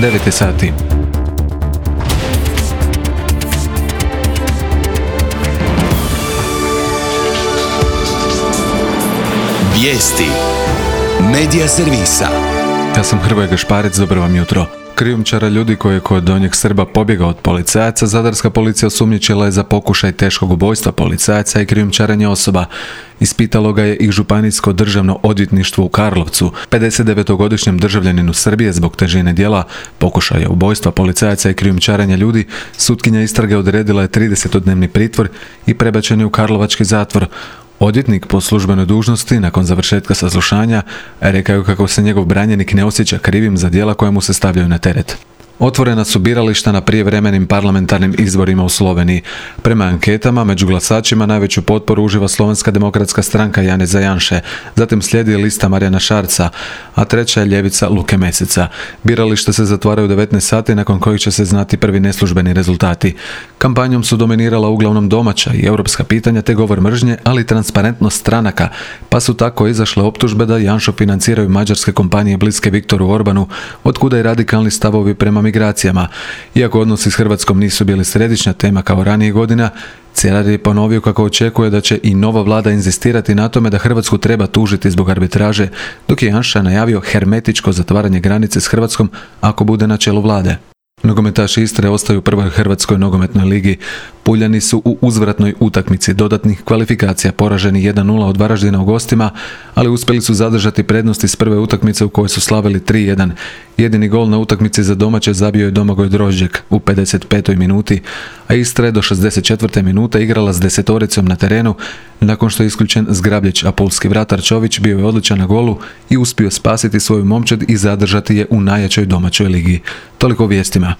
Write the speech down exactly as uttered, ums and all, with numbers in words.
devet je sati. Vijesti Medija servisa. Ja sam Hrvoje Gašparec, dobro vam jutro. Krijumčara ljudi koji je kod Donjeg Srba pobjegao od policajaca, zadarska policija osumnjičila je za pokušaj teškog ubojstva policajaca i krijumčarenja osoba. Ispitalo ga je i Županijsko državno odvjetništvo u Karlovcu. pedesetdevetogodišnjem državljaninu Srbije zbog težine djela pokušaja ubojstva policajaca i krijumčarenja ljudi, sutkinja istrage odredila je tridesetodnevni pritvor i prebačen je u karlovački zatvor. Odvjetnik po službenoj dužnosti nakon završetka saslušanja rekao je kako se njegov branjenik ne osjeća krivim za djela koja mu se stavljaju na teret. Otvorena su birališta na prijevremenim parlamentarnim izborima u Sloveniji. Prema anketama, među glasačima najveću potporu uživa Slovenska demokratska stranka Janeza Janše, zatim slijedi lista Marijana Šarca, a treća je ljevica Luke Meseca. Birališta se zatvaraju u devetnaest sati, nakon kojih će se znati prvi neslužbeni rezultati. Kampanjom su dominirala uglavnom domaća i europska pitanja te govor mržnje, ali i transparentnost stranaka, pa su tako izašle optužbe da Janšu financiraju mađarske kompanije bliske Viktoru Orbanu, otkuda i radikalni stavovi prema migracijama. Iako odnosi s Hrvatskom nisu bili središnja tema kao ranijih godina, Cerar je ponovio kako očekuje da će i nova vlada inzistirati na tome da Hrvatsku treba tužiti zbog arbitraže, dok je Janša najavio hermetičko zatvaranje granice s Hrvatskom ako bude na čelu vlade. Nogometaši Istre ostaju u prvoj Hrvatskoj nogometnoj ligi. Puljani su u uzvratnoj utakmici dodatnih kvalifikacija poraženi jedan nula od Varaždina u gostima, ali uspjeli su zadržati prednost iz prve utakmice u kojoj su slavili tri jedan. Jedini gol na utakmici za domaće zabio je Domagoj Drožđek u pedeset petoj minuti, a Istra je do šezdeset četvrte minute igrala s desetoricom na terenu nakon što je isključen Zgrabljić, a pulski vratar Čović bio je odličan na golu i uspio spasiti svoju momčad i zadržati je u najjačoj domaćoj ligi. Toliko o vijestima.